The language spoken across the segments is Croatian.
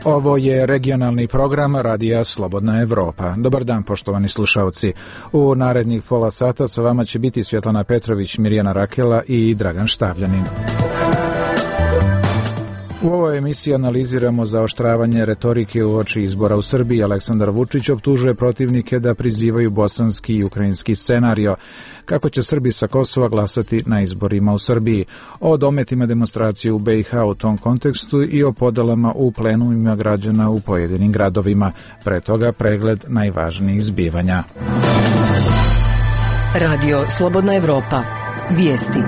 Ovo je regionalni program Radija Slobodna Evropa. Dobar dan, poštovani slušalci. U narednih pola sata sa vama će biti Svjetlana Petrović, Mirjana Rakela i Dragan Štavljanin. U ovoj emisiji analiziramo zaoštravanje retorike uoči izbora u Srbiji. Aleksandar Vučić optužuje protivnike da prizivaju bosanski i ukrajinski scenario. Kako će Srbi sa Kosova glasati na izborima u Srbiji? O dometima demonstracije u BiH u tom kontekstu i o podelama u plenumima građana u pojedinim gradovima. Pre toga pregled najvažnijih zbivanja. Radio Slobodna Evropa. Vijesti.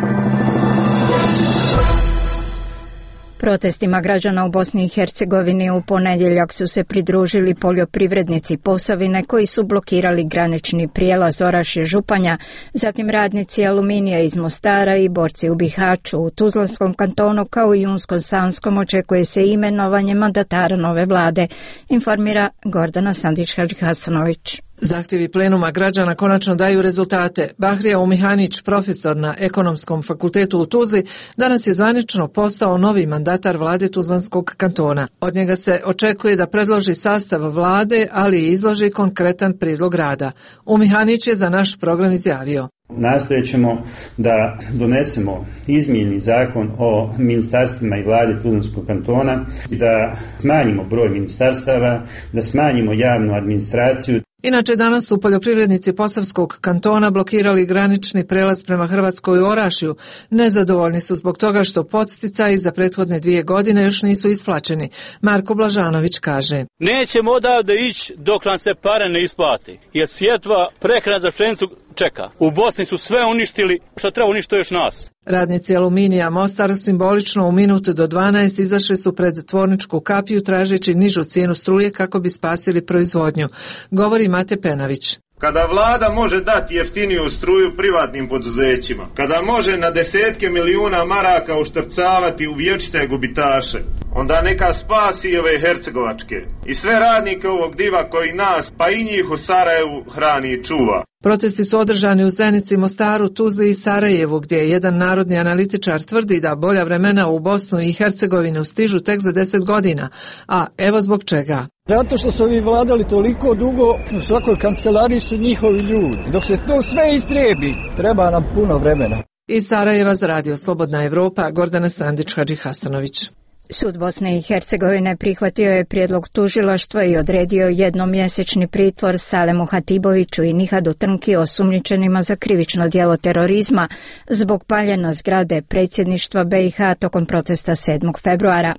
Protestima građana u Bosni i Hercegovini u ponedjeljak su se pridružili poljoprivrednici Posavine koji su blokirali granični prijelaz Orašje-Županja, zatim radnici Aluminija iz Mostara i borci u Bihaću. U Tuzlanskom kantonu kao i Unskom-Sanskom očekuje se imenovanje mandatara nove vlade, informira Gordana Sandić-Hadžihasanović. Zahtjevi plenuma građana konačno daju rezultate. Bahrija Umihanić, profesor na Ekonomskom fakultetu u Tuzli, danas je zvanično postao novi mandatar vlade Tuzlanskog kantona. Od njega se očekuje da predloži sastav vlade, ali i izloži konkretan prijedlog rada. Umihanić je za naš program izjavio: Nastojat ćemo da donesemo izmjeni zakon o ministarstvima i vladi Tuzlanskog kantona, da smanjimo broj ministarstava, da smanjimo javnu administraciju. Inače, danas su poljoprivrednici Posavskog kantona blokirali granični prelaz prema Hrvatskoj u Orašju. Nezadovoljni su zbog toga što podsticaji za prethodne 2 godine još nisu isplaćeni. Marko Blažanović kaže: Nećemo odavde ići dok nam se pare ne isplati, jer sjetva, prehrana za pšenicu čeka. U Bosni su sve uništili, što treba uništiti još nas. Radnici Aluminija Mostar simbolično u minutu do 12 izašli su pred tvorničku kapiju tražeći nižu cijenu struje kako bi spasili proizvodnju. Govori Mate Penavić. Kada vlada može dati jeftiniju struju privatnim poduzećima, kada može na desetke milijuna maraka uštrcavati u vječite gubitaše, onda neka spasi i ove hercegovačke i sve radnike ovog diva koji nas, pa i njih u Sarajevu hrani i čuva. Protesti su održani u Zenici, Mostaru, Tuzli i Sarajevu, gdje jedan narodni analitičar tvrdi da bolja vremena u Bosnu i Hercegovinu stižu tek za 10 godina. A evo zbog čega. Zato što su ovi vladali toliko dugo, u svakoj kancelariji su njihovi ljudi. Dok se to sve istrebi, treba nam puno vremena. Iz Sarajeva za Radio Slobodna Evropa, Gordana Sandić-Hadžihasanović. Sud Bosne i Hercegovine prihvatio je prijedlog tužilaštva i odredio jednomjesečni pritvor Salemu Hatiboviću i Nihadu Trnki, osumnjičenima za krivično djelo terorizma zbog paljenja zgrade predsjedništva BiH tokom protesta 7. februara.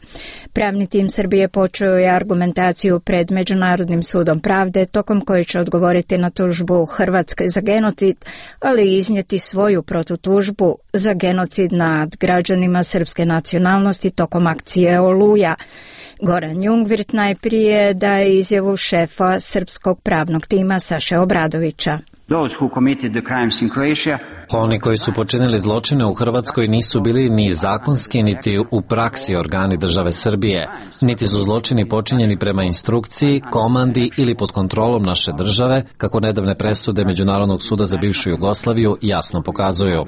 Pravni tim Srbije počeo je argumentaciju pred Međunarodnim sudom pravde, tokom koje će odgovoriti na tužbu Hrvatske za genocid, ali i iznijeti svoju protutužbu za genocid nad građanima srpske nacionalnosti tokom akcije Oluja. Goran Jungvirt najprije daje izjavu šefa srpskog pravnog tima Saše Obradovića. Oni koji su počinili zločine u Hrvatskoj nisu bili ni zakonski, niti u praksi organi države Srbije, niti su zločini počinjeni prema instrukciji, komandi ili pod kontrolom naše države, kako nedavne presude Međunarodnog suda za bivšu Jugoslaviju jasno pokazuju.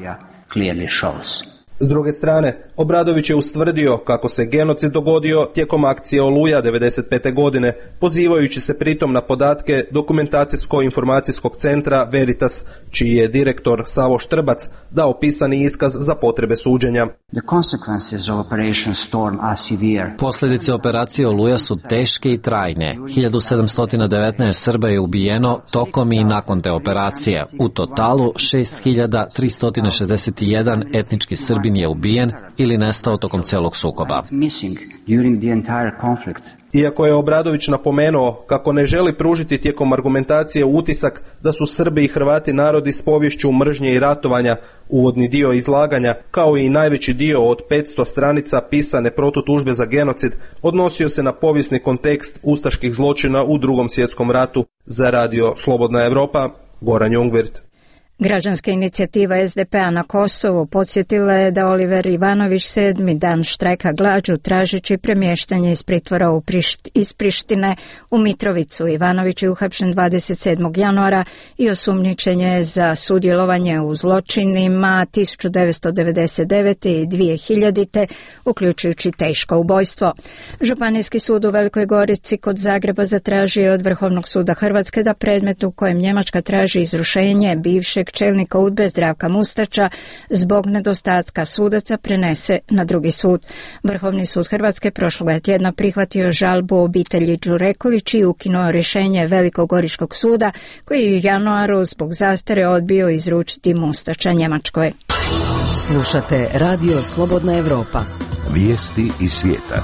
S druge strane, Obradović je ustvrdio kako se genocid dogodio tijekom akcije Oluja 1995. godine, pozivajući se pritom na podatke Dokumentacijsko-informacijskog centra Veritas, čiji je direktor Savo Štrbac dao pisani iskaz za potrebe suđenja. Posljedice operacije Oluja su teške i trajne. 1719 Srba je ubijeno tokom i nakon te operacije. U totalu 6361 etnički Srbin je ubijen ili nestao tokom celog sukoba. Iako je Obradović napomenuo kako ne želi pružiti tijekom argumentacije utisak da su Srbi i Hrvati narodi s poviješću mržnje i ratovanja, uvodni dio izlaganja, kao i najveći dio od 500 stranica pisane protutužbe za genocid, odnosio se na povijesni kontekst ustaških zločina u Drugom svjetskom ratu. Za Radio Slobodna Evropa, Goran Jungvirt. Građanska inicijativa SDP-a na Kosovu podsjetila je da Oliver Ivanović 7. dan štrajka glađu tražeći premještanje iz pritvora iz Prištine u Mitrovicu. Ivanović je uhapšen 27. januara i osumnjičen je za sudjelovanje u zločinima 1999. i 2000. uključujući teško ubojstvo. Županijski sud u Velikoj Gorici kod Zagreba zatražio je od Vrhovnog suda Hrvatske da predmet u kojem Njemačka traži izrušenje bivšeg čelnika UDBE Zdravka Mustača zbog nedostatka sudaca prenese na drugi sud. Vrhovni sud Hrvatske prošloga tjedna prihvatio žalbu obitelji Đureković i ukinuo rješenje Velikogoričkog suda koji je u januaru zbog zastare odbio izručiti Mustača Njemačkoj. Slušate Radio Slobodna Evropa. Vijesti iz svijeta.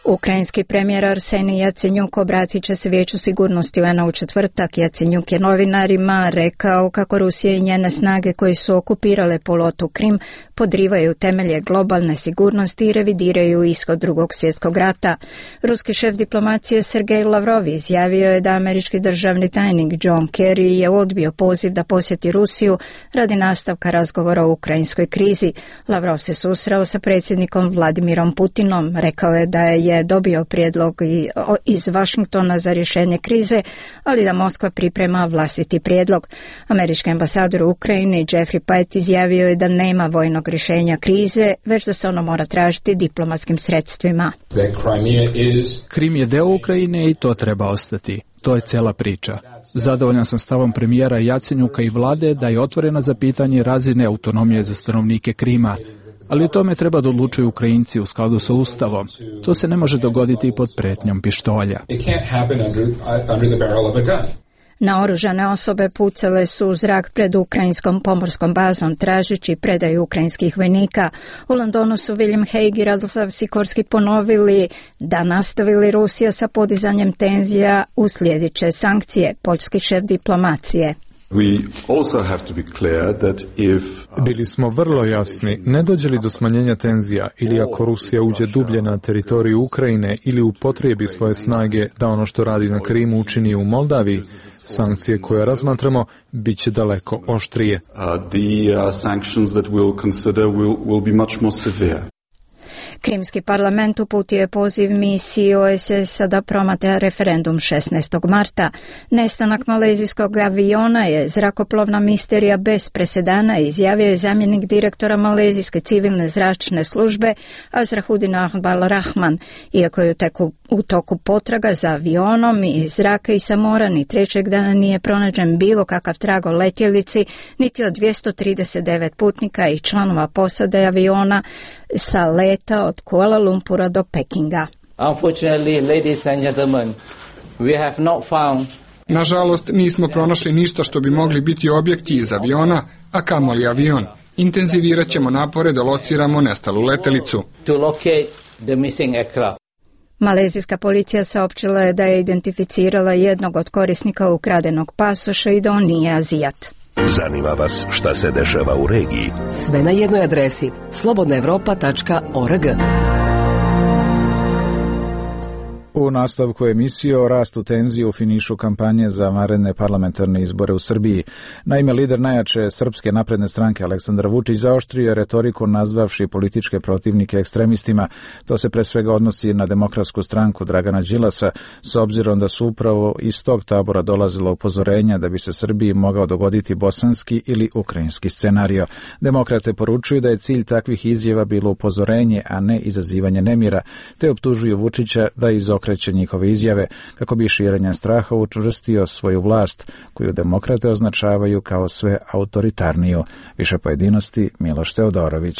Ukrajinski premijer Arsenij Jacenjuk obratit će se Vijeću sigurnosti UN-a u četvrtak. Jacenjuk je novinarima rekao kako Rusija i njene snage koji su okupirale poluotok Krim podrivaju temelje globalne sigurnosti i revidiraju ishod Drugog svjetskog rata. Ruski šef diplomacije Sergej Lavrov izjavio je da američki državni tajnik John Kerry je odbio poziv da posjeti Rusiju radi nastavka razgovora o ukrajinskoj krizi. Lavrov se susreo sa predsjednikom Vladimirom Putinom. Rekao je da je dobio prijedlog iz Washingtona za rješenje krize, ali da Moskva priprema vlastiti prijedlog. Američki ambasador u Ukrajini Jeffrey Pate izjavio je da nema vojnog rješenja krize, već da se ono mora tražiti diplomatskim sredstvima. Krim je deo Ukrajine i to treba ostati. To je cijela priča. Zadovoljan sam stavom premijera Jacenjuka i vlade da je otvorena za pitanje razine autonomije za stanovnike Krima. Ali o tome treba da odlučuju Ukrajinci u skladu sa Ustavom. To se ne može dogoditi pod pretnjom pištolja. Naoružane osobe pucale su u zrak pred ukrajinskom pomorskom bazom tražeći predaju ukrajinskih vojnika. U Londonu su William Hague i Radoslav Sikorski ponovili da nastavili Rusija sa podizanjem tenzija u sljedeće sankcije, poljski šef diplomacije. Bili smo vrlo jasni, ne dođe li do smanjenja tenzija ili ako Rusija uđe dublje na teritoriju Ukrajine ili upotrijebi svoje snage da ono što radi na Krimu učini u Moldaviji, sankcije koje razmatramo bit će daleko oštrije. Krimski parlament uputio je poziv misiji OESS-a da promatra referendum 16. marta. Nestanak malezijskog aviona je zrakoplovna misterija bez presedana, izjavio je zamjenik direktora malezijske civilne zračne službe Azrahuddin Ahbal Rahman. Iako je u toku potraga za avionom iz zraka i sa mora, ni trećeg dana nije pronađen bilo kakav trag o letjelici, niti od 239 putnika i članova posade aviona sa leta od Kuala Lumpura do Pekinga. Nažalost, nismo pronašli ništa što bi mogli biti objekti iz aviona, a kamoli avion. Intenzivirat ćemo napore da lociramo nestalu letelicu. Malezijska policija saopćila je da je identificirala jednog od korisnika ukradenog pasoša i da on nije Azijat. Zanima vas šta se dešava u regiji? Sve na jednoj adresi slobodnaevropa.org. U nastavku emisije o rastu tenzije u finišu kampanje za naredne parlamentarne izbore u Srbiji. Naime, lider najjače Srpske napredne stranke Aleksandar Vučić zaoštrio je retoriku nazvavši političke protivnike ekstremistima. To se pre svega odnosi na Demokratsku stranku Dragana Đilasa, s obzirom da su upravo iz tog tabora dolazila upozorenja da bi se Srbiji mogao dogoditi bosanski ili ukrajinski scenario. Demokrate poručuju da je cilj takvih izjava bilo upozorenje, a ne izazivanje nemira, te optužuju Vučića da izokreće njihove izjave kako bi širenjem straha učvrstio svoju vlast, koju demokrate označavaju kao sve autoritarniju. Više pojedinosti Miloš Teodorović.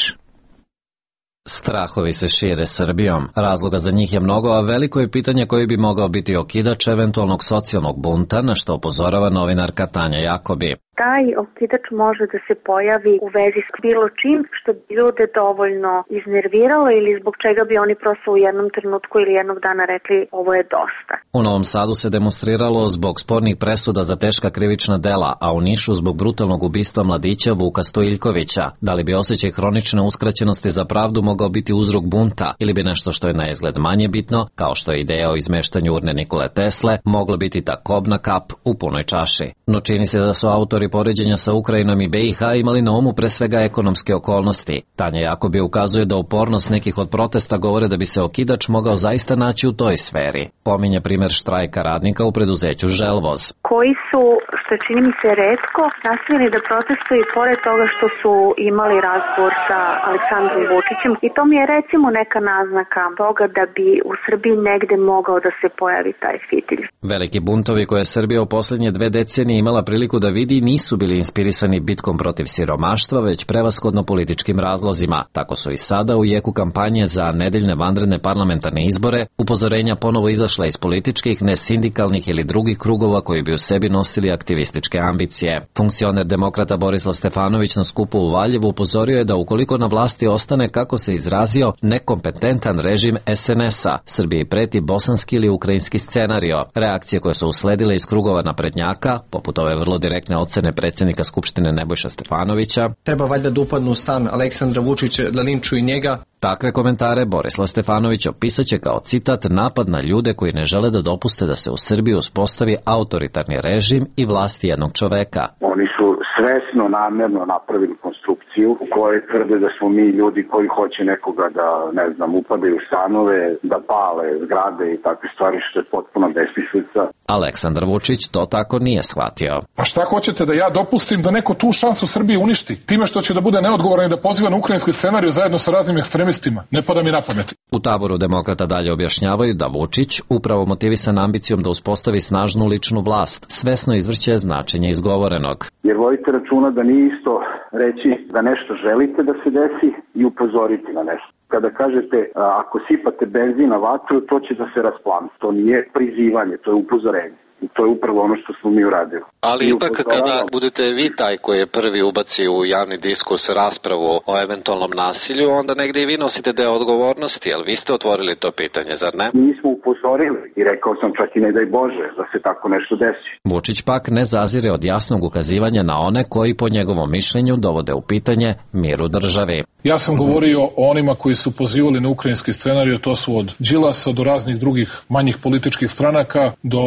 Strahovi se šire Srbijom. Razloga za njih je mnogo, a veliko je pitanje koji bi mogao biti okidač eventualnog socijalnog bunta, na što upozorava novinarka Tanja Jakobi. Taj okidač može da se pojavi u vezi s bilo čim što bi ljude dovoljno iznerviralo ili zbog čega bi oni prosto u jednom trenutku ili jednog dana rekli ovo je dosta. U Novom Sadu se demonstriralo zbog spornih presuda za teška krivična dela, a u Nišu zbog brutalnog ubistva mladića Vuka Stojiljkovića. Da li bi osjećaj hronične uskraćenosti za pravdu mogao biti uzrok bunta ili bi nešto što je na izgled manje bitno, kao što je ideja o izmeštanju urne Nikole Tesle, moglo biti ta kobna kap u punoj čaši. No čini se da su autori komentatori poređenja sa Ukrajinom i BiH imali na umu pre svega ekonomske okolnosti. Tanja Jakobi ukazuje da upornost nekih od protesta govore da bi se okidač mogao zaista naći u toj sferi. Pominje primer štrajka radnika u preduzeću Želvoz. Koji su, što čini mi se retko, nastavili da protestuju i pored toga što su imali razgovor sa Aleksandrom Vučićem. I to mi je recimo neka naznaka toga da bi u Srbiji negde mogao da se pojavi taj fitilj. Veliki buntovi koje je Srbija u posljednje 2 decenije imala priliku da vidi nisu bili inspirisani bitkom protiv siromaštva, već prevashodno političkim razlozima. Tako su i sada u jeku kampanje za nedeljne vanredne parlamentarne izbore upozorenja ponovo izašla iz političkih, nesindikalnih ili drugih krugova koji bi u sebi nosili aktivističke ambicije. Funkcioner demokrata Borislav Stefanović na skupu u Valjevu upozorio je da ukoliko na vlasti ostane, kako se izrazio, nekompetentan režim SNS-a, Srbiji preti bosanski ili ukrajinski scenario. Reakcije koje su usledile iz krugova naprednjaka, poput ove vrlo direktne ocene predsjednika Skupštine Nebojša Stefanovića, treba valjda da upadnu u stan Aleksandra Vučića, da linčuju njega. Takve komentare Borislav Stefanović opisaće kao citat napad na ljude koji ne žele da dopuste da se u Srbiji uspostavi autoritarni režim i vlast jednog čoveka. Oni su svesno, namjerno napravili konstrukciju u kojoj tvrde da smo mi ljudi koji hoće nekoga da, upadaju u stanove, da pale zgrade i takve stvari, što je potpuno besmislica. Aleksandar Vučić to tako nije shvatio. A šta hoćete, da ja dopustim da neko tu šansu Srbiji uništi? Time što će da bude neodgovoran i da poziva na ukrajinski scenarij zajedno sa raznim ekstremistima? Ne pada mi na pamet. U taboru demokrata dalje objašnjavaju da Vučić, upravo motivisan ambicijom da uspostavi snažnu ličnu vlast, svesno izvrće značenje izgovorenog. Jer vodite računa da nije isto reći da nešto želite da se desi i upozoriti na nešto. Kada kažete ako sipate benzin na vatru, to će da se rasplani. To nije prizivanje, to je upozorenje. I to je upravo ono što smo mi uradili. Ali ipak kada budete vi taj koji je prvi ubaci u javni diskurs raspravu o eventualnom nasilju, onda negdje i vi nosite deo odgovornosti, ali vi ste otvorili to pitanje, zar ne? Mi smo upozorili i rekao sam čak i ne daj Bože da se tako nešto desi. Vučić pak ne zazire od jasnog ukazivanja na one koji po njegovom mišljenju dovode u pitanje mir u državi. Ja sam govorio o onima koji su pozivali na ukrajinski scenarij, to su od Đilasa do raznih drugih manjih političkih stranaka, do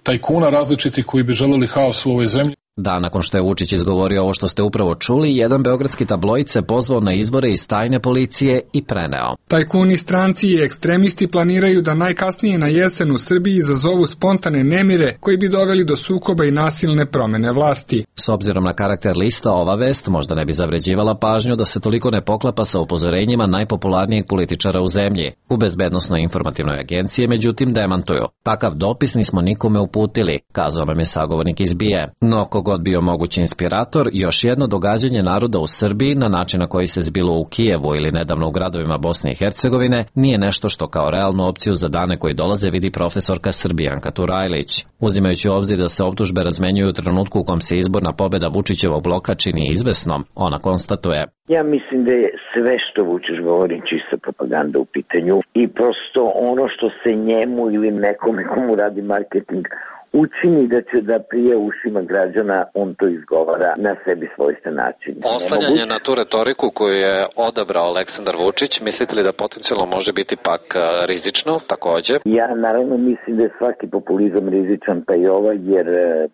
tajkuna različitih koji bi želeli haos u ovoj zemlji. Da, nakon što je Vučić izgovorio ovo što ste upravo čuli, jedan beogradski tabloid se pozvao na izbore iz tajne policije i preneo. Tajkuni, stranci i ekstremisti planiraju da najkasnije na jesen u Srbiji izazovu spontane nemire koji bi doveli do sukoba i nasilne promene vlasti. S obzirom na karakter lista, ova vest možda ne bi zavređivala pažnju da se toliko ne poklapa sa upozorenjima najpopularnijeg političara u zemlji. U Bezbednosnoj informativnoj agenciji, međutim, demantuju. Takav dopis nismo nikome uputili, kazao nam je sagovornik iz BIA. No, god bio mogući inspirator, još jedno događanje naroda u Srbiji na način na koji se zbilo u Kijevu ili nedavno u gradovima Bosne i Hercegovine nije nešto što kao realnu opciju za dane koji dolaze vidi profesorka Srbijanka Turajlić. Uzimajući u obzir da se optužbe razmenjuju u trenutku u kom se izborna pobjeda Vučićevog bloka čini izvesnom, ona konstatuje: ja mislim da je sve što Vučić govori čista propaganda u pitanju i prosto ono što se njemu ili nekome komu radi marketing učini da će da prije ušima građana, on to izgovara na sebi svojstven način. Oslanjanje na tu retoriku koju je odabrao Aleksandar Vučić, mislite li da potencijalno može biti pak rizično također? Ja naravno mislim da je svaki populizam rizičan, pa i ovaj, jer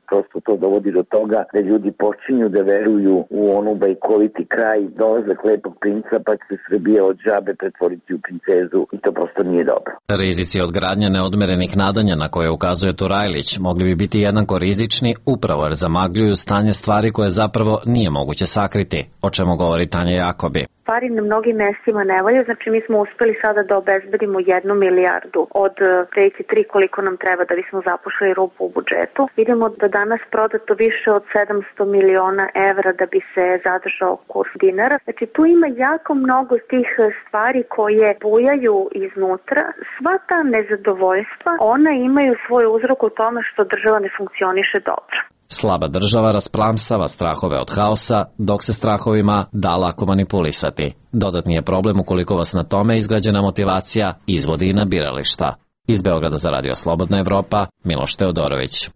prosto to dovodi do toga da ljudi počinju da veruju u onu bajkoviti kraj, dolazak lepog princa, pa će se Srbija od žabe pretvoriti u princezu i to prosto nije dobro. Rizici od gradnje neodmerenih nadanja na koje ukazuje Turajlić mogli bi biti jednako rizični upravo jer zamagljuju stanje stvari koje zapravo nije moguće sakriti, o čemu govori Tanja Jakobi. Stvari na mnogim mestima ne valju, znači mi smo uspeli sada da obezbedimo 1 milijardu od 3 koliko nam treba da bismo zapošli rupu u budžetu. Vidimo da danas prodato više od 700 miliona evra da bi se zadržao kurs dinara. Znači tu ima jako mnogo tih stvari koje bujaju iznutra. Sva ta nezadovoljstva, ona imaju svoj uzrok u tome što država ne funkcioniše dobro. Slaba država rasplamsava strahove od haosa, dok se strahovima da lako manipulisati. Dodatni je problem ukoliko vas na tome izgrađena motivacija izvodi i na birališta. Iz Beograda za Radio Slobodna Evropa, Miloš Teodorović.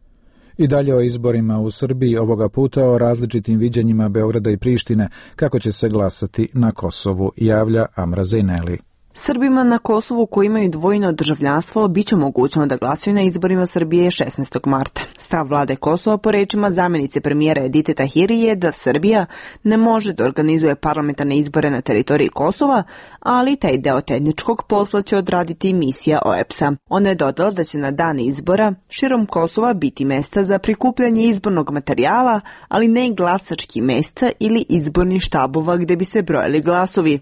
I dalje o izborima u Srbiji, ovoga puta o različitim viđenjima Beograda i Prištine, kako će se glasati na Kosovu, javlja Amra Zejneli. Srbima na Kosovu koji imaju dvojno državljanstvo biće mogućno da glasuju na izborima Srbije 16. marta. Stav vlade Kosova po rečima zamjenice premijera Edite Tahiri je da Srbija ne može da organizuje parlamentarne izbore na teritoriji Kosova, ali taj deo tehničkog posla će odraditi misija OEBS-a. Ona je dodala da će na dan izbora širom Kosova biti mesta za prikupljanje izbornog materijala, ali ne i glasački mesta ili izborni štabova gdje bi se brojali glasovi.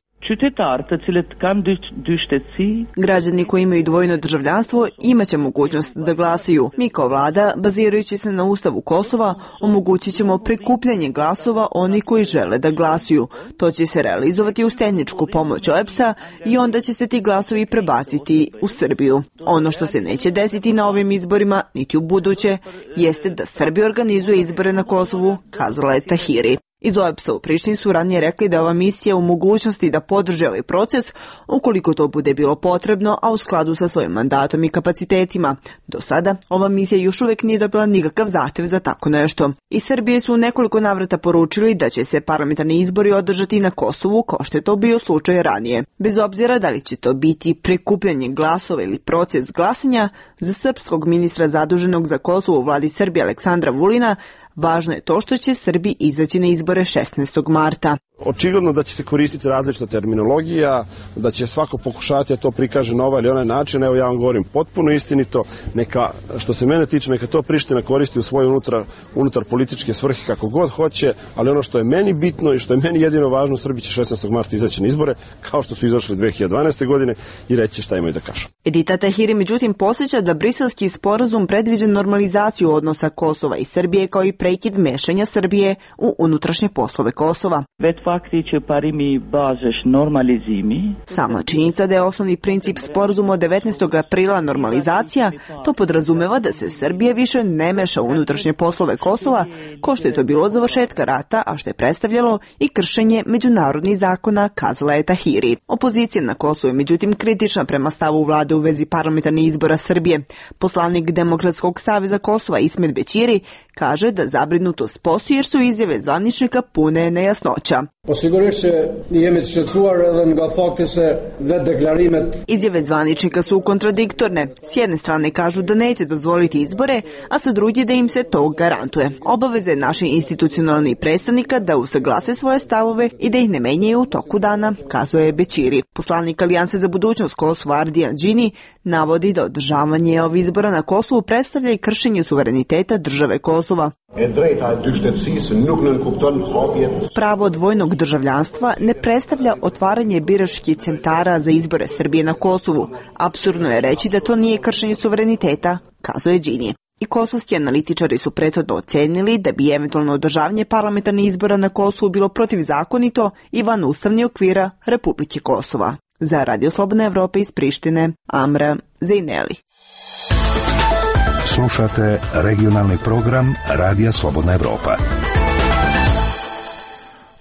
Građani koji imaju dvojno državljanstvo imaće mogućnost da glasaju. Mi kao vlada, bazirajući se na Ustavu Kosova, omogućit ćemo prikupljanje glasova oni koji žele da glasuju. To će se realizovati uz tehničku pomoć OEBS-a i onda će se ti glasovi prebaciti u Srbiju. Ono što se neće desiti na ovim izborima, niti u buduće, jeste da Srbija organizuje izbore na Kosovu, kazala je Tahiri. Iz OEBS-a u Prištini su ranije rekli da je ova misija u mogućnosti da podrže ovaj proces ukoliko to bude bilo potrebno, a u skladu sa svojim mandatom i kapacitetima. Do sada ova misija još uvijek nije dobila nikakav zahtev za tako nešto. Iz Srbije su u nekoliko navrata poručili da će se parlamentarni izbori održati na Kosovu kao što je to bio slučaj ranije. Bez obzira da li će to biti prikupljanje glasova ili proces glasanja, za srpskog ministra zaduženog za Kosovo u vladi Srbije Aleksandra Vulina važno je to što će Srbi izaći na izbore 16. marta. Očigledno da će se koristiti različita terminologija, da će svako pokušati da to prikaže na ovaj ili onaj način. Evo ja vam govorim potpuno istinito, neka, što se mene tiče, neka to Priština koristi u svoje unutar političke svrhe kako god hoće, ali ono što je meni bitno i što je meni jedino važno, Srbi će 16. marta izaći na izbore, kao što su izašli 2012. godine i reći šta imaju da kažu. Edita Tahiri međutim posjeća da briselski sporazum predviđa normalizaciju odnosa Kosova i Srbije kao i prekid mešanja Srbije u unutrašnje poslove Kosova. Sama činjenica da je osnovni princip sporazuma od 19. aprila normalizacija, to podrazumeva da se Srbija više ne meša u unutrašnje poslove Kosova, kao što je to bilo od završetka rata, a što je predstavljalo i kršenje međunarodnih zakona, kazala je Tahiri. Opozicija na Kosovu je međutim kritična prema stavu vlade u vezi parlamentarnih izbora Srbije. Poslanik Demokratskog saveza Kosova Ismet Bećiri kaže da zabrinutost postoji jer su izjave zvaničnika pune nejasnoća. Izjave zvaničnika su kontradiktorne. S jedne strane kažu da neće dozvoliti izbore, a sa druge da im se to garantuje. Obaveze naših institucionalnih predstavnika da usaglase svoje stavove i da ih ne menjaju u toku dana, kazuje Bećiri. Poslanik Alijanse za budućnost Kosova Ardijan Džini navodi da održavanje ovih izbora na Kosovu predstavlja i kršenje suvereniteta države Kosova. Pravo dvojnog državljanstva ne predstavlja otvaranje biračkih centara za izbore Srbije na Kosovu. Apsurdno je reći da to nije kršenje suvereniteta, kazuje Džini. I kosovski analitičari su prethodno ocenili da bi eventualno održavanje parlamentarnih izbora na Kosovu bilo protivzakonito i van ustavnih okvira Republike Kosova. Za Radio Slobodna Evropa iz Prištine, Amra Zejneli. Slušate regionalni program Radija Slobodna Evropa.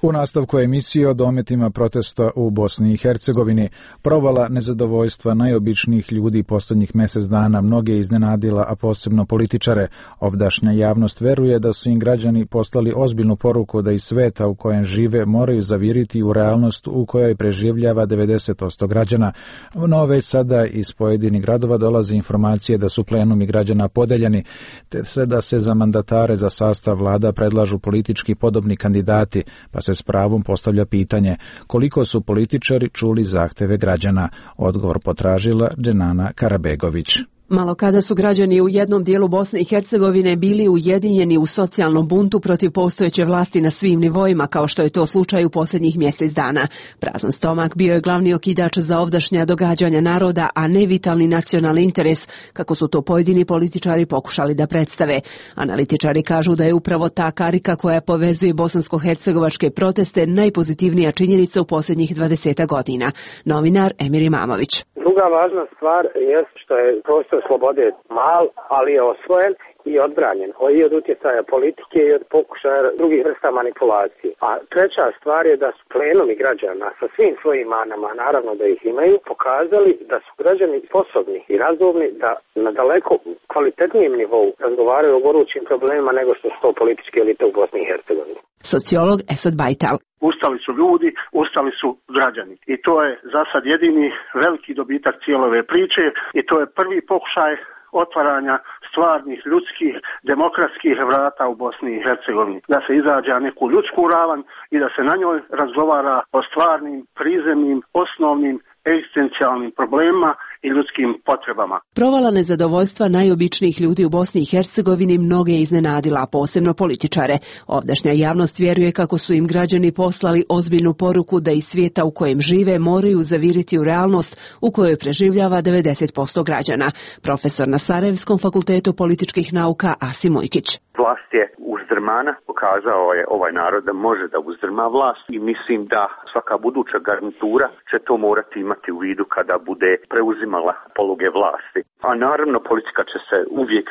U nastavku emisije o dometima protesta u Bosni i Hercegovini, provala nezadovoljstva najobičnijih ljudi posljednjih mjesec dana mnoge iznenadila, a posebno političare. Ovdašnja javnost veruje da su im građani poslali ozbiljnu poruku da iz sveta u kojem žive moraju zaviriti u realnost u kojoj preživljava 90% građana. No već sada iz pojedinih gradova dolaze informacije da su plenumi građana podeljeni, te da se za mandatare za sastav vlada predlažu politički podobni kandidati, pa se s pravom postavlja pitanje koliko su političari čuli zahteve građana. Odgovor potražila Dženana Karabegović. Malo kada su građani u jednom dijelu Bosne i Hercegovine bili ujedinjeni u socijalnom buntu protiv postojeće vlasti na svim nivoima, kao što je to slučaj u posljednjih mjesec dana. Prazan stomak bio je glavni okidač za ovdašnja događanja naroda, a ne vitalni nacionalni interes, kako su to pojedini političari pokušali da predstave. Analitičari kažu da je upravo ta karika koja povezuje bosansko-hercegovačke proteste najpozitivnija činjenica u posljednjih 20 godina. Novinar Emir Imamović. Druga važna stvar je što je prostor slobode mal, ali je osvojen i odbranjen i od utjecaja politike i od pokušaja drugih vrsta manipulacije. A treća stvar je da su plenumi građana sa svim svojim manama, naravno da ih imaju, pokazali da su građani sposobni i razumni da na daleko kvalitetnijem nivou razgovaraju o gorućim problemima nego što su to političke elite u Bosni i Hercegovini. Sociolog Esad Bajtal. Ustali su ljudi, ustali su građani. I to je za sad jedini veliki dobitak cijele ove priče i to je prvi pokušaj otvaranja stvarnih, ljudskih, demokratskih vrata u Bosni i Hercegovini. Da se izađe na neku ljudsku ravan i da se na njoj razgovara o stvarnim, prizemnim, osnovnim, egzistencijalnim problemima i ljudskim potrebama. Provala nezadovoljstva najobičnijih ljudi u Bosni i Hercegovini mnoge je iznenadila, a posebno političare. Ovdašnja javnost vjeruje kako su im građani poslali ozbiljnu poruku da iz svijeta u kojem žive moraju zaviriti u realnost u kojoj preživljava 90% građana. Profesor na Sarajevskom fakultetu političkih nauka Asim Ujkić. Vlast je uzdrmana, pokazao je ovaj narod da može da uzdrma vlast i mislim da svaka buduća garnitura će to morati imati u vidu kada bude preuzimala poluge vlasti. A naravno politika će se uvijek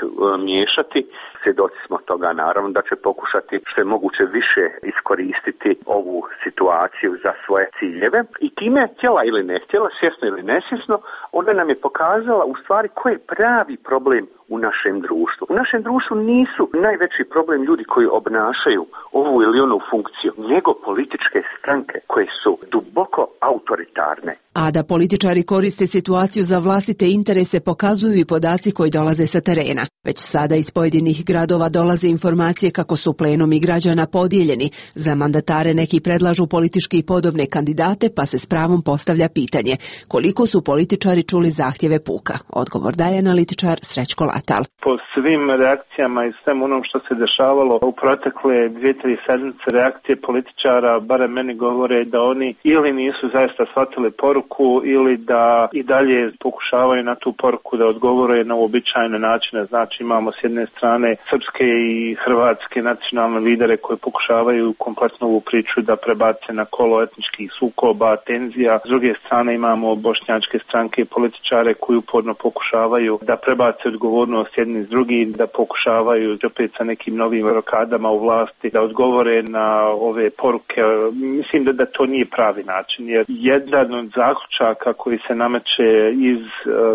miješati, svjedoci smo toga naravno da će pokušati što je moguće više iskoristiti ovu situaciju za svoje ciljeve i time htjela ili ne htjela, svjesno ili nesvjesno, ona nam je pokazala u stvari koji je pravi problem u našem društvu. U našem društvu nisu najveći problem ljudi koji obnašaju ovu ili onu funkciju, nego političke stranke koje su duboko autoritarne. A da političari koriste situaciju za vlastite interese pokazuju i podaci koji dolaze sa terena. Već sada iz pojedinih gradova dolaze informacije kako su plenumi građana podijeljeni. Za mandatare neki predlažu politički podobne kandidate, pa se s pravom postavlja pitanje koliko su političari čuli zahtjeve puka. Odgovor daje analitičar Srećko Latal. Po svim reakcijama i svem onom što se dešavalo u protekle 2-3 sedmice, reakcije političara, barem meni govore da oni ili nisu zaista shvatili poruku ili da i dalje pokušavaju na tu poruku da odgovore na uobičajene načine. Znači imamo s jedne strane srpske i hrvatske nacionalne lidere koji pokušavaju kompletnu ovu priču da prebace na kolo etničkih sukoba, tenzija. S druge strane imamo bošnjačke stranke i političare koji uporno pokušavaju da prebace odgovornost jedni s drugim, da pokušavaju opet sa nekim novim rokadama u vlasti da odgovore na ove poruke. Mislim da to nije pravi način, jer jedan od zaključaka koji se nameće iz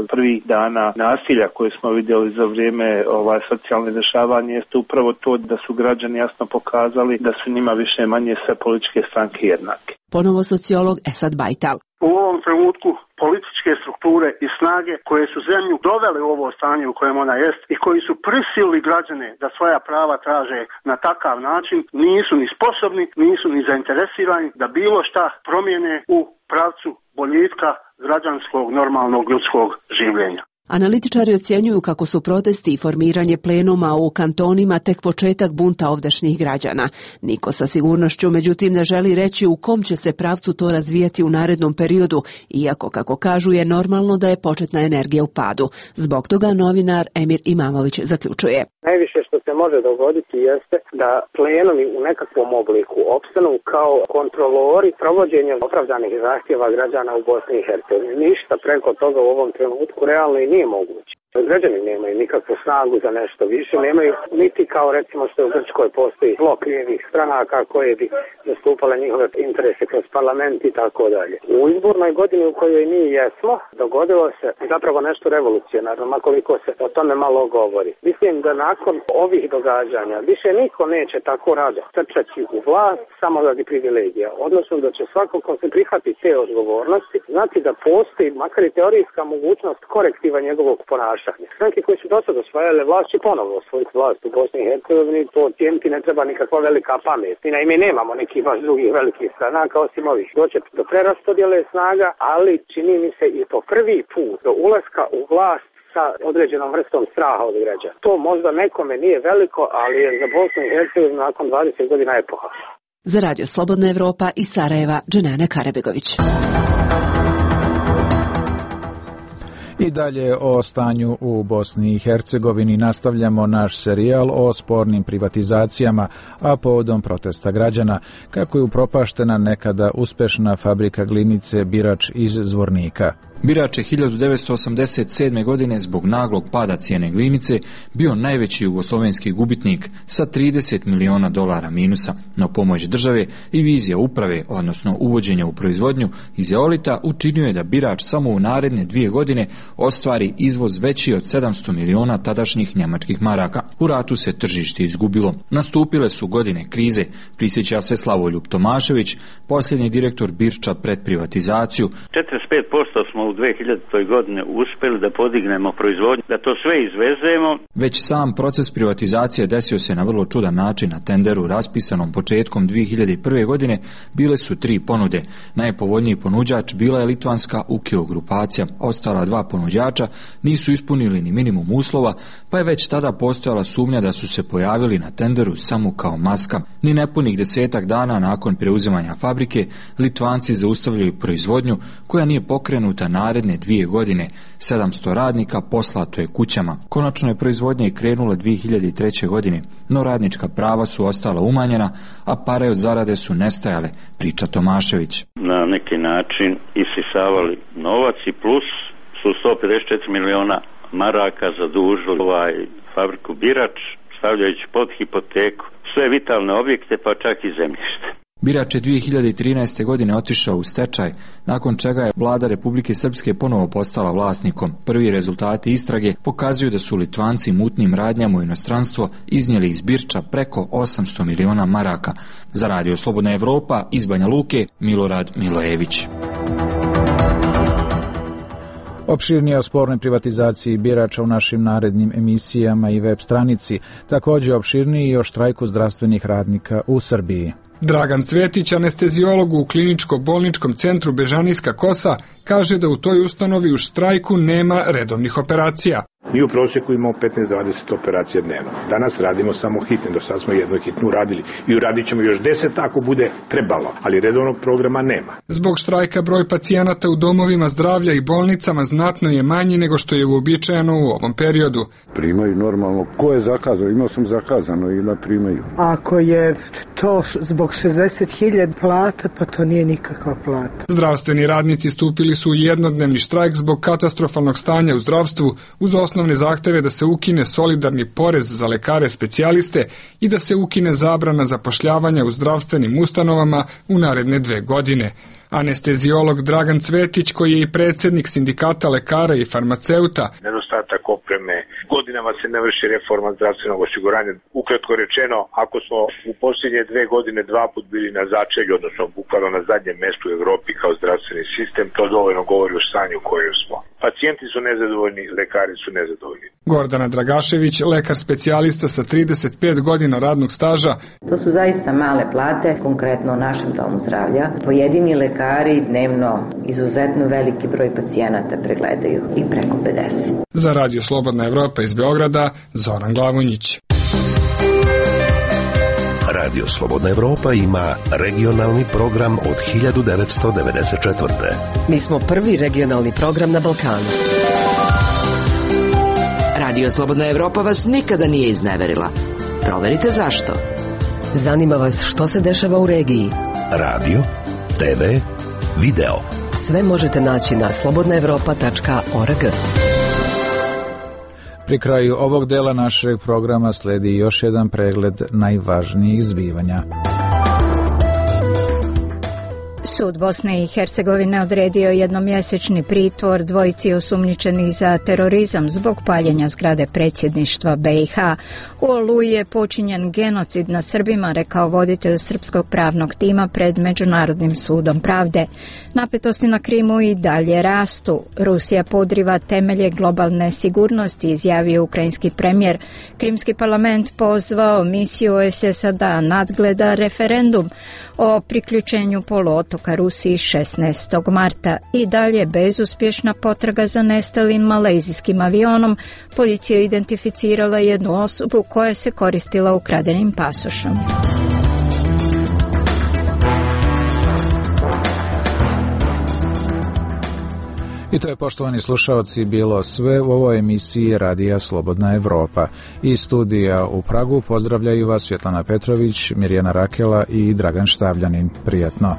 prvih dana nasilja koje smo vidjeli za vrijeme socijalne dešavanje jeste upravo to da su građani jasno pokazali da su njima više manje sve političke stranke jednake. Ponovo sociolog Esad Bajtal. U ovom trenutku političke strukture i snage koje su zemlju dovele u ovo stanje u kojem ona jest i koji su prisilili građane da svoja prava traže na takav način, nisu ni sposobni, nisu ni zainteresirani da bilo šta promijene u pravcu boljitka građanskog normalnog ljudskog življenja. Analitičari ocjenjuju kako su protesti i formiranje plenuma u kantonima tek početak bunta ovdašnjih građana. Niko sa sigurnošću međutim ne želi reći u kom će se pravcu to razvijati u narednom periodu, iako kako kažu je normalno da je početna energija u padu. Zbog toga novinar Emir Imamović zaključuje. Najviše što se može dogoditi jeste da plenovi u nekakvom obliku opstanu kao kontrolori provođenja opravdanih zahtjeva građana u Bosni i Hercegovini. Ništa preko toga u ovom trenutku realno i nije moguće. Građani nemaju nikakvu snagu za nešto više, nemaju niti kao recimo što u Grčkoj postoji blok lijevih stranaka koje bi zastupale njihove interese kroz parlament i tako dalje. U izbornoj godini u kojoj mi jesmo, dogodilo se zapravo nešto revolucionarno, makoliko se o tome malo govori. Mislim da nakon ovih događanja više niko neće tako rado trčati u vlast samo radi privilegija, odnosno da će svako ko se prihvati te odgovornosti znati da postoji makar i teorijska mogućnost korektiva njegovog ponašanja. Stranke koje su do sada osvajale vlast će ponovno osvojiti vlast u Bosni i Hercegovini, to cijeniti ne treba nikakva velika pamet. I naime nemamo nekih baš drugih velikih stranaka osim ovih. Doće do preraspodjele snaga, ali čini mi se i po prvi put do ulaska u vlast sa određenom vrstom straha od građana. To možda nekome nije veliko, ali je za Bosnu i Hercegovinu nakon 20 godina epoha. Za Radio Slobodna Evropa iz Sarajeva, Dženana Karabegović. I dalje o stanju u Bosni i Hercegovini nastavljamo naš serijal o spornim privatizacijama, a povodom protesta građana, kako je upropaštena nekada uspešna fabrika glinice Birač iz Zvornika. Birač je 1987. godine zbog naglog pada cijene glinice bio najveći jugoslovenski gubitnik sa $30 miliona minusa, no pomoć države i vizija uprave, odnosno uvođenja u proizvodnju iz eolita, učinio je da birač samo u naredne 2 godine ostvari izvoz veći od 700 miliona tadašnjih njemačkih maraka. U ratu se tržište izgubilo. Nastupile su godine krize, prisjeća se Slavoljub Tomašević, posljednji direktor Birča pred privatizaciju. 45% smo u 2000. godine uspjeli da podignemo proizvodnju, da to sve izvezemo. Već sam proces privatizacije desio se na vrlo čudan način. Na tenderu raspisanom početkom 2001. godine bile su 3 ponude. Najpovoljniji ponuđač bila je litvanska Ukio grupacija. Ostala 2 ponuđača nisu ispunili ni minimum uslova, pa je već tada postojala sumnja da su se pojavili na tenderu samo kao maska. Ni nepunih 10 dana nakon preuzimanja fabrike, Litvanci zaustavljaju proizvodnju koja nije pokrenuta naredne 2 godine. 700 radnika poslato je kućama. Konačno je proizvodnja i krenula 2003. godine, no radnička prava su ostala umanjena, a pare od zarade su nestajale, priča Tomašević. Na neki način isisavali novac i plus su 154 miliona maraka zadužili fabriku Birač, stavljajući pod hipoteku sve vitalne objekte, pa čak i zemljište. Birač je 2013. godine otišao u stečaj, nakon čega je vlada Republike Srpske ponovo postala vlasnikom. Prvi rezultati istrage pokazuju da su Litvanci mutnim radnjama u inostranstvo iznijeli iz Birča preko 800 miliona maraka. Za Radio Slobodna Evropa iz Banja Luke, Milorad Milojević. Opširnije o spornoj privatizaciji Birača u našim narednim emisijama i web stranici, također opširniji i o štrajku zdravstvenih radnika u Srbiji. Dragan Cvetić, anesteziolog u kliničko-bolničkom centru Bežanijska Kosa, kaže da u toj ustanovi u štrajku nema redovnih operacija. Mi u prosjeku imamo 15-20 operacija dnevno. Danas radimo samo hitne, do sad smo jednu hitnu uradili i uradit ćemo još 10 ako bude trebalo, ali redovnog programa nema. Zbog štrajka broj pacijenata u domovima zdravlja i bolnicama znatno je manji nego što je uobičajeno u ovom periodu. Primaju normalno. Ko je zakazao? Imao sam zakazano i da primaju. Ako je to zbog 60.000 plata, pa to nije nikakva plata. Zdravstveni radnici stupili su u jednodnevni štrajk zbog katastrofalnog stanja u zdravstvu, uz osnovne zahteve da se ukine solidarni porez za lekare specijaliste i da se ukine zabrana zapošljavanja u zdravstvenim ustanovama u naredne 2 godine. Anesteziolog Dragan Cvetić, koji je i predsjednik sindikata lekara i farmaceuta. Nedostatak opreme, godinama se ne vrši reforma zdravstvenog osiguranja. Ukratko rečeno, ako smo u posljednje 2 godine 2 put bili na začelju, odnosno bukvalno na zadnjem mjestu u Europi kao zdravstveni sistem, to dovoljno govori o stanju u kojem smo. Pacijenti su nezadovoljni, lekari su nezadovoljni. Gordana Dragašević, lekar specijalista sa 35 godina radnog staža. To su zaista male plate, konkretno u našem domu zdravlja. Pojedini lekari dnevno izuzetno veliki broj pacijenata pregledaju i preko 50. Za Radio Slobodna Evropa iz Beograda, Zoran Glavonjić. Radio Slobodna Evropa ima regionalni program od 1994. Mi smo prvi regionalni program na Balkanu. Radio Slobodna Evropa vas nikada nije izneverila. Proverite zašto. Zanima vas što se dešava u regiji. Radio, TV, video. Sve možete naći na slobodnaevropa.org. Pri kraju ovog dela našeg programa sledi još jedan pregled najvažnijih zbivanja. Sud Bosne i Hercegovine odredio jednomjesečni pritvor dvojici osumnjičenih za terorizam zbog paljenja zgrade predsjedništva BiH. U Oluji je počinjen genocid na Srbima, rekao voditelj srpskog pravnog tima pred Međunarodnim sudom pravde. Napetosti na Krimu i dalje rastu. Rusija podriva temelje globalne sigurnosti, izjavio ukrajinski premijer. Krimski parlament pozvao misiju OESS da nadgleda referendum o priključenju poluotoka Rusiji 16. marta. I dalje bezuspješna potraga za nestalim malezijskim avionom. Policija identificirala jednu osobu koja se koristila ukradenim pasošom. I to je, poštovani slušalci, bilo sve u ovoj emisiji Radija Slobodna Evropa. Iz studija u Pragu pozdravljaju vas Svjetlana Petrović, Mirjana Rakela i Dragan Štavljanin. Prijatno.